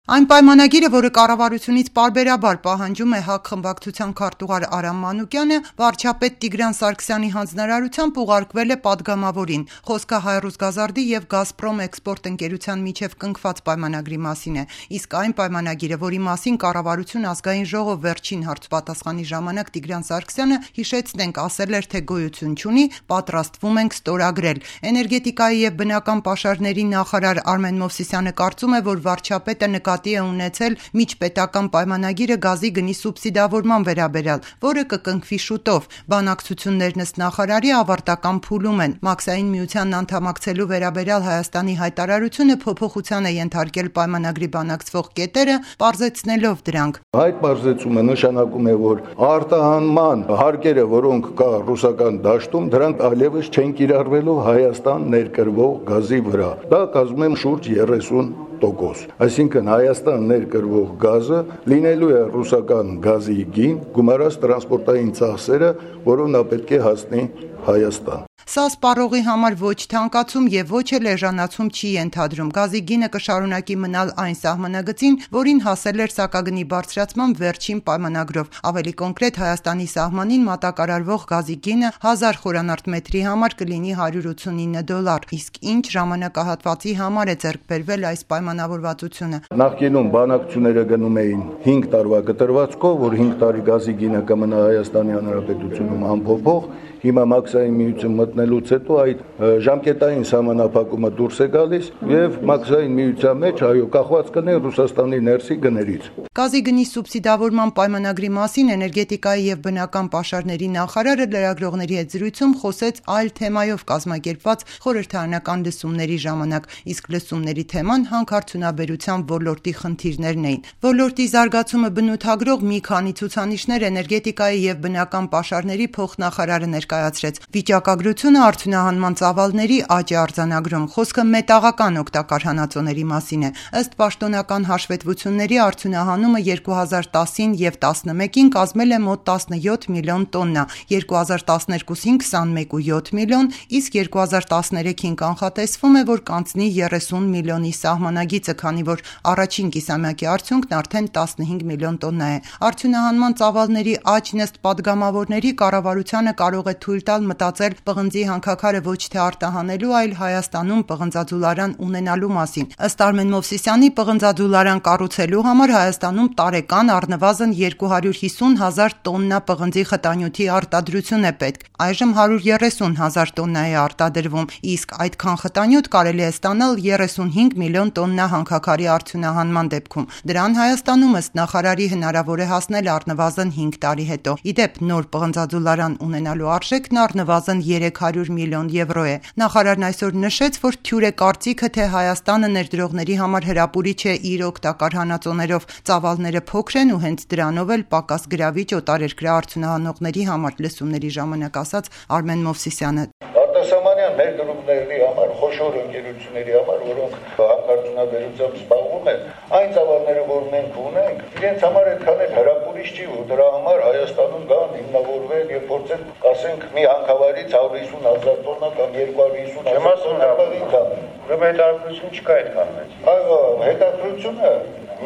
Այն պայմանագիրը, որը կառավարությունից պարբերաբար պահանջում է ՀԱԿ խմբակցության քարտուղար Արամ Մանուկյանը, վարչապետ Տիգրան Սարգսյանի հանձնարարությամբ ուղարկվել է պատգամավորին։ Խոսքը Հայրուսգազարդի և Գազպրոմ էքսպորտ ընկերության միջև կնքված պայմանագրի մասին է, իսկ այն պայմանագիրը, որի մասին կառավարություն ազգային ժողով վերջին հարցպատասխանի ժամանակ Տիգրան Սարգսյանը, հիշեցնենք, ասել էր, թե գոյություն չունի, պատրաստվում ենք ստորագրել։ Էներգետիկայի և բնական պաշարների նախարար Արմեն Մովսիսյանը կարծում է, որ վարչապետը նկատի է ունեցել միջպետական պայմանագիրը գազի գնի սուբսիդավորման վերաբերյալ, որը կկնքվի շուտով։ Բանակցություններն ըստ նախարարի ավարտական փուլում են։ Մաքսային միությանն անդամակցելու վերաբերյալ Հայաստանի հայտարարությունը փոփոխության է ենթարկել պայմանագրի բանակցվող կետերը, պարզեցնելով դրանք։ Այդ պարզեցումը նշանակում է, որ արտահանման հարկերը, որոնք կա ռուսական դաշտում, դրանք այլևս չեն կիրառվելու Հայաստան ներկրվող գազի վրա։ Դա կազմում է շուրջ 30%։ Այսինքն Հայաստան ներկրվող գազը լինելու է ռուսական գազի գին, գումարած տրանսպորտային ծախսերը, որով նա պետք է հասնի Հայաստան։ Սա սպառողի համար ոչ թանկացում և ոչ էլ էժանացում չի ենթադրում։ Գազի գինը կշարունակի մնալ այն սահմանագծին, որին հասել էր սակագնի բարձրացման վերջին պայմանագրով։ Ավելի կոնկրետ, Հայաստանի սահմանին մատակարարվող գազի գինը 1000 խորանարդ մետրի համար կլինի $189, իսկ ինչ ժամանակահատվածի համար է ձեռք բերվել այս պայմանավորվածությունը։ Նախկինում բանակցությունները գնում էին 5 տարվա կտրվածքով, որ 5 տարի գազի գինը կմնա Հայաստանի Հանրապետությունում անփոփոխ։ Հիմա մաքսային միություն մտնելուց հետո այդ ժամկետային սահմանափակումը դուրս է գալիս եւ մաքսային միության մեջ կախված կներ Ռուսաստանի ներսի գներից։ Գազի գնի սուբսիդավորման պայմանագրի մասին էներգետիկայի եւ բնական պաշարների նախարարը լրագրողների հետ զրույցում խոսեց այլ թեմայով կազմակերպված խորհրդարանական լսումների ժամանակ, իսկ լսումների թեման հանքարդյունաբերության ոլորտի խնդիրներն էին։ Ոլորտի զարգացումը բնութագրող մի քանի ցուցանիշներ էներգետիկայի եւ բնական պաշարների փոխնախարարը ներկայացրեց։ Վիճակագրությունը արդյունահանման ծավալների աճ է արձանագրում։ Խոսքը մետաղական օգտակար հանածոների մասին է։ Ըստ պաշտոնական հաշվետվությունների արդյունահանումը 2010-ին եւ 2011-ին կազմել է մոտ 17 միլիոն տոննա, 2012-ին 21.7 միլիոն, իսկ 2013-ին կանխատեսվում է, որ կանցնի 30 միլիոնի սահմանագիծը, քանի որ առաջին կիսամյակի արդյունքն արդեն 15 միլիոն տոննա է։ Արդյունահանման ծավալների աճն ըստ падգամավորների կառավարությանը կարող է թույլ տալ մտածել պղնձի հանքաքարը ոչ թե արտահանելու, այլ Հայաստանում պղնձաձուլարան ունենալու մասին։ Ըստ Արմեն Մովսիսյանի, պղնձաձուլարան կառուցելու համար Հայաստանում տարեկան առնվազն 250,000 տոննա պղնձի խտանյութի արտադրություն է պետք։ Այժմ 130,000 տոննա է արտադրվում, իսկ այդքան խտանյութ կարելի է ստանալ 35 միլիոն տոննա հանքաքարի արդյունահանման դեպքում։ Դրան Հայաստանում ըստ նախարարի հնարավոր է հասնել առնվազն 5 տարի հետո։ Ի դեպ, նոր պղնձաձուլարան ունենալու արժեքն առնվազն 300 միլիոն եվրո է։ Նախարարն այսօր նշեց, որ թյուր է կարծիքը, թե Հայաստանը ներդրողների համար հրապուրիչ է իր օգտակար հանածոներով, ծավալները փոքր են ու հենց դրանով էլ պակաս գրավիչ օտարերկրյա արդյունահանողների համար, լսումների ժամանակ ասաց Արմեն Մովսիսյանը։ Արտասահմանյան ներդրումների համար, խոշոր ընկերությունների համար, որոնք հանքարդյունաբերությամբ զբաղվում են, այն ծավալները, որ մենք ունենք, իրենց համար այդքան էլ հրապուրիչ չի, որ դրա համար Հայաստանում գան հիմնավորվել եւ փորձեն, ասենք, մի հանքավայրից 150,000 տոննա կամ 250,000 տոննա Ուրեմն հետաքրքրություն չկա այդքան մեծ։ Այո, հետաքրքրությունը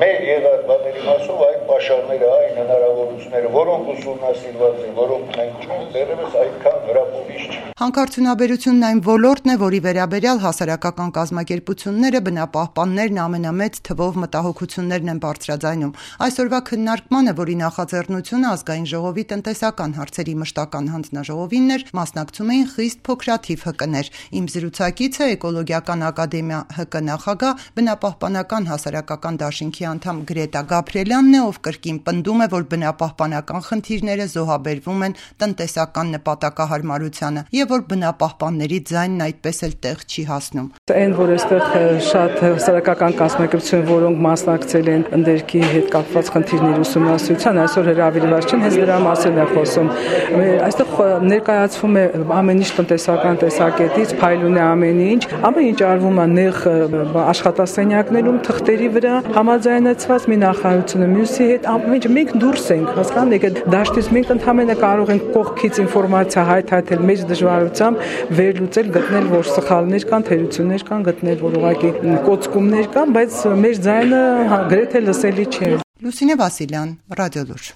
մեր եղած բաների մասով այդ պաշարները, այն հնարավորությունները, որոնք ուսումնասիրված են, որոնք մենք ունենք, դեռևս այդքան հրապուրիչ չի։ Հանքարդյունաբերությունն այն ոլորտն է, որի վերաբերյալ հասարակական կազմակերպությունները, բնապահպաններն ամենամեծ թվով մտահոգություններն են բարձրաձայնում։ Այսօրվա քննարկմանը, որի նախաձեռնությունը ազգային ժողովի տնտեսական հարցերի մշտական հանձնաժողովինն էր, մասնակցում էին խիստ փոքրաթիվ ՀԿ-ներ։ Իմ զրուցակիցը Էկոլոգիական ակադեմիա ՀԿ նախագահ, բնապահպանական հասարակական դաշինքի անդամ Գրետա Գաբրիելյանն է, ով կրկին պնդում է, որ բնապահպանական խնդիրները զոհաբերվում են տնտեսական նպատակահարմարությանը եւ որ բնապահպանների ձայնն այդպես էլ տեղ չի հասնում։ Այն, որ այստեղ շատ հասարակական կազմակերպություններ, որոնք մասնակցել են ընդերքի հետ կապված խնդիրների ուսումնասիրության, այսօր հրավիրված չեն, հենց դրա մասին է խոսում։ Այստեղ ներկայացվում է ամեն ինչ տնտեսական տեսակետից, փայլուն է ամեն ինչ, ամեն ինչ արվում է նեղ աշխատասենյակներում, թղթերի վրա, համաձայն համաձայնեցված մի նախարարությունը մյուսի հետ, մենք դուրս ենք, հասկանալի է, դաշտից մենք ընդհանրապես կարող ենք կողքից ինֆորմացիա հայտարարել մեր դժվարությամբ, վերլուծել, գտնել, որ սխալներ կան, թերություններ կան, գտնել, որ ուղղակի կոծկումներ կան, բայց մեր ձայնը գրեթե լսելի չէ։ Լուսինե Վասիլյան, Ռադիոլուր։